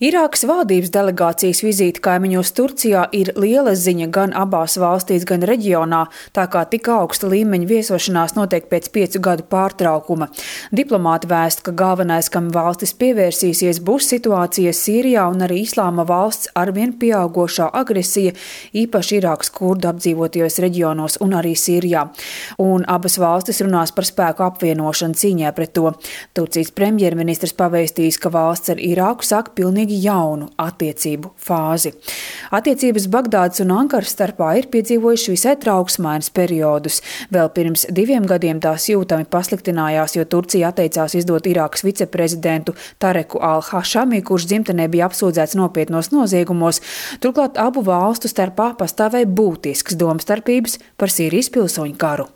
Irākas valdības delegācijas vizīte kaimiņos Turcijā ir liela ziņa gan abās valstīs, gan reģionā, tā kā tik augsta līmeņa viesošanās notiek pēc 5 gadu pārtraukuma. Diplomāti vēst, ka galvenais, kam valstis pievērsīsies, būs situācija Sīrijā un arī Islāma valsts arvien pieaugošā agresija, īpaši Irākas kurdu apdzīvotajos reģionos un arī Sīrijā. Un abas valstis runās par spēku apvienošanu cīņā pret to. Turcijas premjerministrs pavēstījis, ka valsts ar Irāku sāk pilnīgi jaunu attiecību fāzi. Attiecības Bagdādas un Ankaras starpā ir piedzīvojuši visai trauksmainas periodus. Vēl pirms 2 gadiem tās jūtami pasliktinājās, jo Turcija atteicās izdot Irākas viceprezidentu Tareku al-Hašami, kurš dzimtenē bija apsūdzēts nopietnos noziegumos. Turklāt abu valstu starpā pastāvēja būtisks domstarpības par Sīrijas pilsoņu karu.